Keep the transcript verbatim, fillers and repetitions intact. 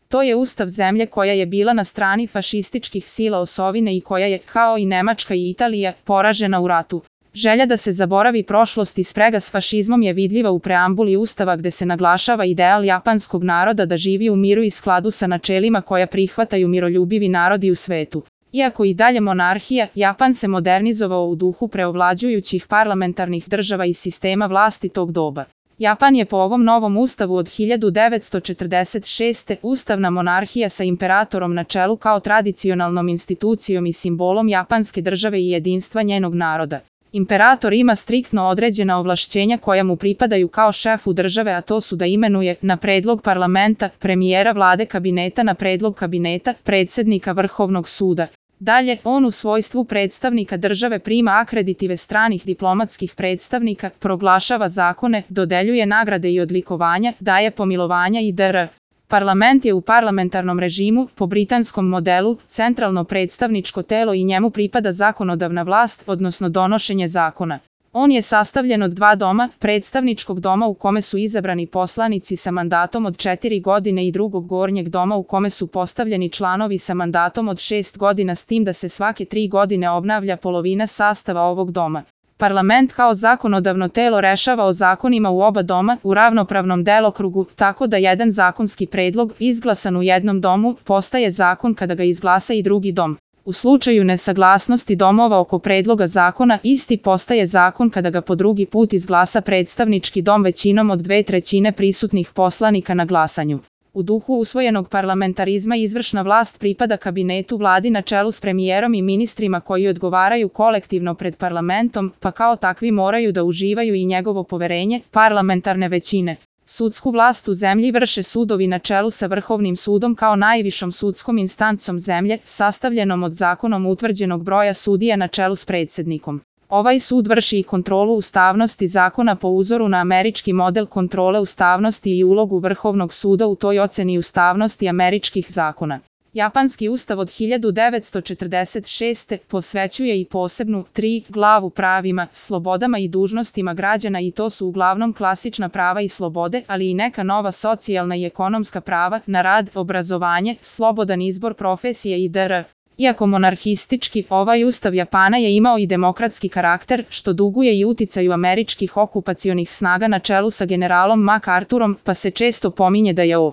To je ustav zemlje koja je bila na strani fašističkih sila osovine i koja je, kao i Nemačka i Italija, poražena u ratu. Želja da se zaboravi prošlost i sprega s fašizmom je vidljiva u preambuli ustava gde se naglašava ideal japanskog naroda da živi u miru i skladu sa načelima koja prihvataju miroljubivi narodi u svetu. Iako i dalje monarhija, Japan se modernizovao u duhu preovlađujućih parlamentarnih država i sistema vlasti tog doba. Japan je po ovom novom ustavu od hiljadu devetsto četrdeset šeste. ustavna monarhija sa imperatorom na čelu kao tradicionalnom institucijom i simbolom japanske države i jedinstva njenog naroda. Imperator ima striktno određena ovlašćenja koja mu pripadaju kao šefu države, a to su da imenuje, na predlog parlamenta, premijera vlade kabineta na predlog kabineta, predsjednika Vrhovnog suda. Dalje, on u svojstvu predstavnika države prima akreditive stranih diplomatskih predstavnika, proglašava zakone, dodeljuje nagrade i odlikovanja, daje pomilovanja itd. Parlament je u parlamentarnom režimu, po britanskom modelu, centralno predstavničko telo i njemu pripada zakonodavna vlast, odnosno donošenje zakona. On je sastavljen od dva doma, predstavničkog doma u kome su izabrani poslanici sa mandatom od četiri godine i drugog gornjeg doma u kome su postavljeni članovi sa mandatom od šest godina, s tim da se svake tri godine obnavlja polovina sastava ovog doma. Parlament kao zakonodavno telo rešava o zakonima u oba doma u ravnopravnom delokrugu, tako da jedan zakonski predlog, izglasan u jednom domu, postaje zakon kada ga izglasa i drugi dom. U slučaju nesaglasnosti domova oko predloga zakona, isti postaje zakon kada ga po drugi put izglasa predstavnički dom većinom od dve trećine prisutnih poslanika na glasanju. U duhu usvojenog parlamentarizma izvršna vlast pripada kabinetu vladi na čelu s premijerom i ministrima koji odgovaraju kolektivno pred parlamentom, pa kao takvi moraju da uživaju i njegovo poverenje, parlamentarne većine. Sudsku vlast u zemlji vrše sudovi na čelu sa Vrhovnim sudom kao najvišom sudskom instancom zemlje, sastavljenom od zakonom utvrđenog broja sudija na čelu s predsjednikom. Ovaj sud vrši i kontrolu ustavnosti zakona po uzoru na američki model kontrole ustavnosti i ulogu Vrhovnog suda u toj oceni ustavnosti američkih zakona. Japanski ustav od hiljadu devetsto četrdeset šeste. posvećuje i posebnu tri glavu pravima, slobodama i dužnostima građana i to su uglavnom klasična prava i slobode, ali i neka nova socijalna i ekonomska prava na rad, obrazovanje, slobodan izbor profesije itd. Iako monarhistički, ovaj ustav Japana je imao i demokratski karakter, što duguje i uticaju američkih okupacionih snaga na čelu sa generalom MacArthurom, pa se često pominje da je o